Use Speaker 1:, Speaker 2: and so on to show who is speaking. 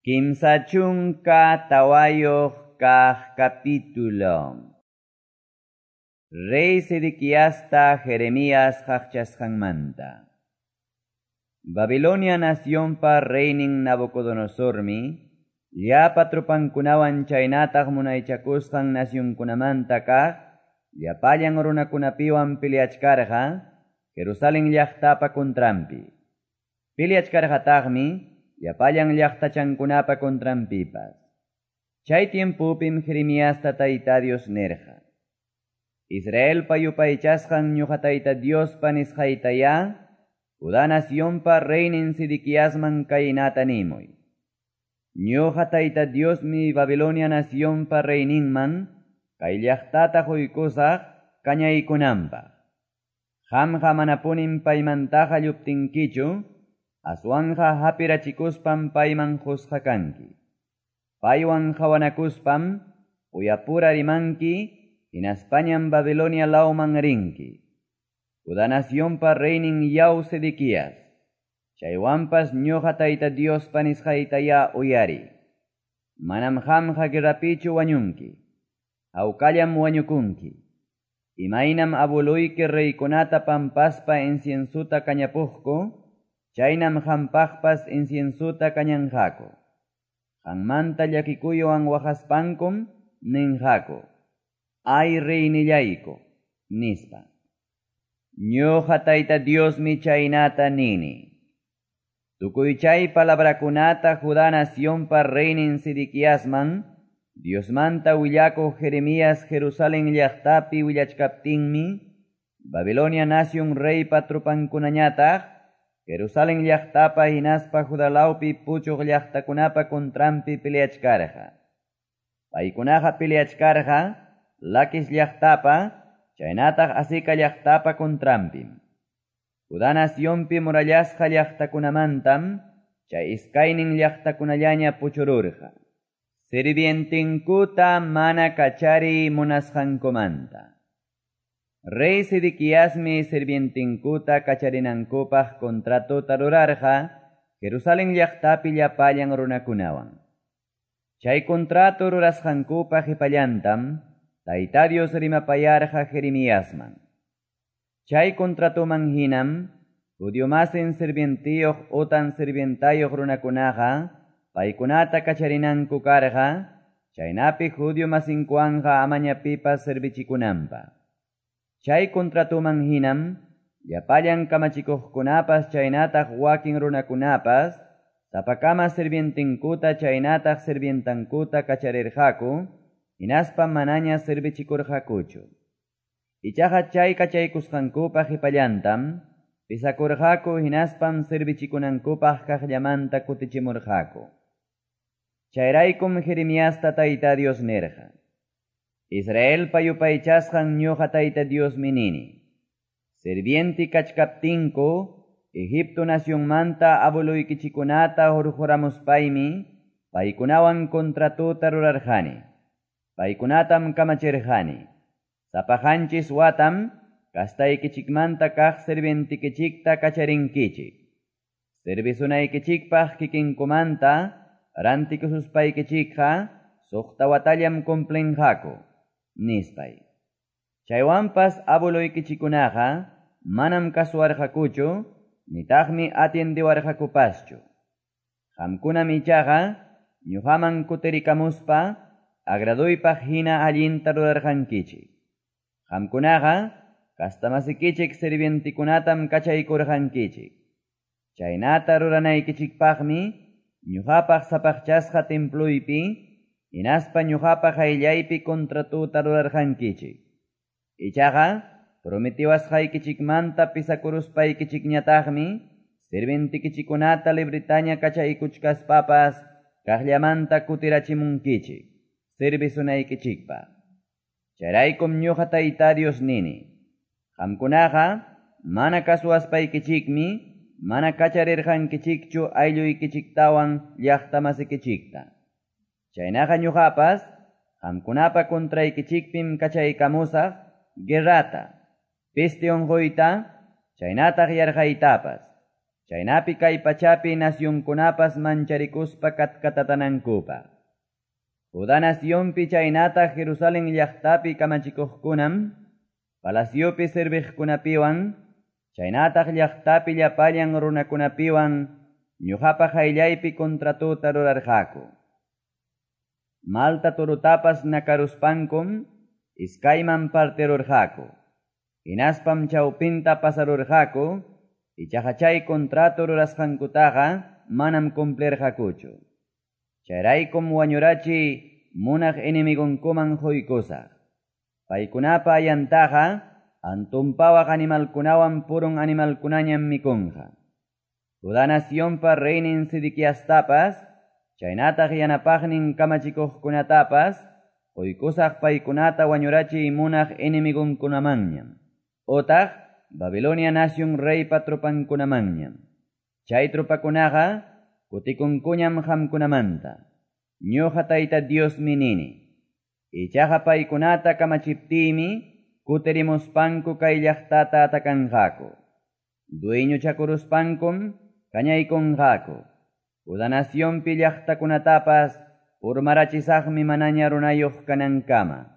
Speaker 1: 34 kaq capítulo. Rey Sedequiasta Jeremías qaqchasqanmanta. Babilonia nacionpa reynin Nabucodonosormi, llapa tropankunawan chaynataq munaychakusqan nacionkunamanta kaq, llapallan runakunapiwan peleachkarqa, Jerusalén llaqtapa contranpi. Peleachkarqataqmi, llapallan llaqtachankunapa contranpipas. Chay tiempopim Jeremiasta Tayta Dios nirqa: Israelpa yupaychasqan ñuqa Tayta Diospa nisqaytayá, Judá nacionpa reynin Sedequiasman kaynata nimuy: Ñuqa Tayta Diosmi Babilonia nacionpa reyninman kay llaqtata quykusaq kañaykunanpaq. Qamqa manapunim paymantaqa lluptinkichu, aswanqa hapirachikuspam payman qusqa kanki. Paywan qawanakuspam uyapura rimanki, hinaspañam Babilonia lawman rinki. Judá nacionpa reynin yaw Sedequías, chaywanpas ñuqa Tayta Diospa nisqaytayá uyari. Manam qamqa guerrapichu wañunki, hawkallam wañukunki. Imaynam abueluyki reykunata pampaspa inciensuta kañapuqku, chaynam qampaqpas inciensuta kañanqaku. Qammanta llakikuywan waqaspankum ninqaku: Ay reynillayku, nispa. Ñuqa Tayta Diosmi chaynata nini. Tukuy chay palabrakunata Judá nacionpa reynin Sedequiasman, Diosmanta willakuq Jeremías Jerusalén llaqtapi willachkaptinmi, Babilonia nación reypa tropankunañataq, Jerusalén llaqtapa hinaspa Judá lawpi puchuq llaqtakunapa contranpi peleachkarqa. Paykunaqa peleachkarqa Laquis llaqtapa, chaynataq Azeca llaqtapa contranpim. Judá nacionpi murallasqa llaqtakunamantam, chay iskaynin llaqtakunallaña puchururqa. Sirvientinkuta mana kachariy munasqankumanta. Rey Sedequiasmi sirvientinkuta kacharinankupaq contratota rurarqa Jerusalén llaqtapi llapallan runakunawan. Chay contrato rurasqankupa qhipallantam Tayta Dios rimapayarqa Jeremiasman. Chay contratoman hinam, judiomasin sirvientiyuq utan sirvientayuq runakunaqa, paykunata kacharinanku karqa, chaynapi judio masinkuwanqa amaña pipas servichikunanpaq. Chay contratoman hinam, llapallan kamachikuqkunapas chaynataq wakin runakunapas, sapakama sirvientinkuta chaynataq sirvientankuta kacharirqaku, hinaspa manaña servichikurqakuchu. Ichaqa chay kachaykusqankupa qhipallantam, pisakurqaku hinaspam servichikunankupaq kaqllamanta kutichimurqaku. Chayraykum Jeremiasta Tayta Dios nirqa: Israelpa yupaychasqan ñuqa Tayta Diosmi nini: Sirvienti kachkaptinku, Egipto nacionmanta abueluykichikunata hurquramuspaymi, paykunawan contratota rurarqani. Paykunatam kamachirqani. Sapa qanchis watam kastaykichikmanta kaq sirvientikichikta kacharinkichik. Servisunaykichikpaq kikinkumanta rantikususpaykichikqa suqta watallam cumplinqaku, nispay. Chaywanpas abueluykichikunaqa manam kasuwarqakuchu, nitaqmi atiendewarqakupaschu. Qamkunam ichaqa ñuqaman kutirikamuspa agraduypaq hina allinta rurarqankichik. Qamkunaqa kastamasikichik sirvientikunatam kachaykurqankichik. Chaynata ruranaykichikpaqmi ñuqapaq sapaqchasqa templuypi hinaspa ñuqapa qayllaypi contratota rurarqankichik. Ichaqa prometiwasqaykichikmanta pisakuruspaykichikñataqmi sirvientikichikunata libritaña kachaykuchkaspapas kaqllamanta kutirachimunkichik servisunaykichikpaq. Chayraykum ñuqa Tayta Dios nini: Qamkunaqa mana kasuwaspaykichikmi mana kacharirqankichikchu aylluykichiktawan llaqtamasikichikta. Chaynaqa ñuqapas qamkunapa contraykichikpim kachaykamusaq guerrata, peste unquyta, chaynataq yarqaytapas. chaynapi kay pachapi nacionkunapas mancharikuspa katkatatanankupaq. Judá nacionpi chaynataq Jerusalén llaqtapi kamachikuqkunam, palaciopi serviqkunapiwan, chaynataq llaqtapi llapallan runakunapiwan ñuqapa qayllaypi contratota rurarqaku. Malta torotapas nakaruspankum iskayman partirurqaku, hinaspam chawpinta pasarurqaku, ichaqa chay contrato rurasqankutaqa manam cumplirqakuchu. Chayraykum wañurachiy munaq enemigonkuman quykusaq. Paykunapa ayantaqa antunpawaq animalkunawan purun animalkunañam mikunqa. Judá nacionpa reynin Sedequiastapas, chaynataq yanapaqnin kamachikuqkunatapas, quykusaq paykunata wañurachiy munaq enemigonkunamanñam. Otaq Babilonia nación reypa tropankunamanñam. Chay tropakunaqa kutikunkuñam qamkunamanta. Ñuqa Tayta Diosmi nini. Ichaqa paykunata kamachiptiymi kutirimuspanku kay llaqtata atakanqaku. Dueñochakuruspankum kañaykunqaku. Judá nacionpi llaqtakunatapas urmarachisaqmi manaña runayuq kanankama.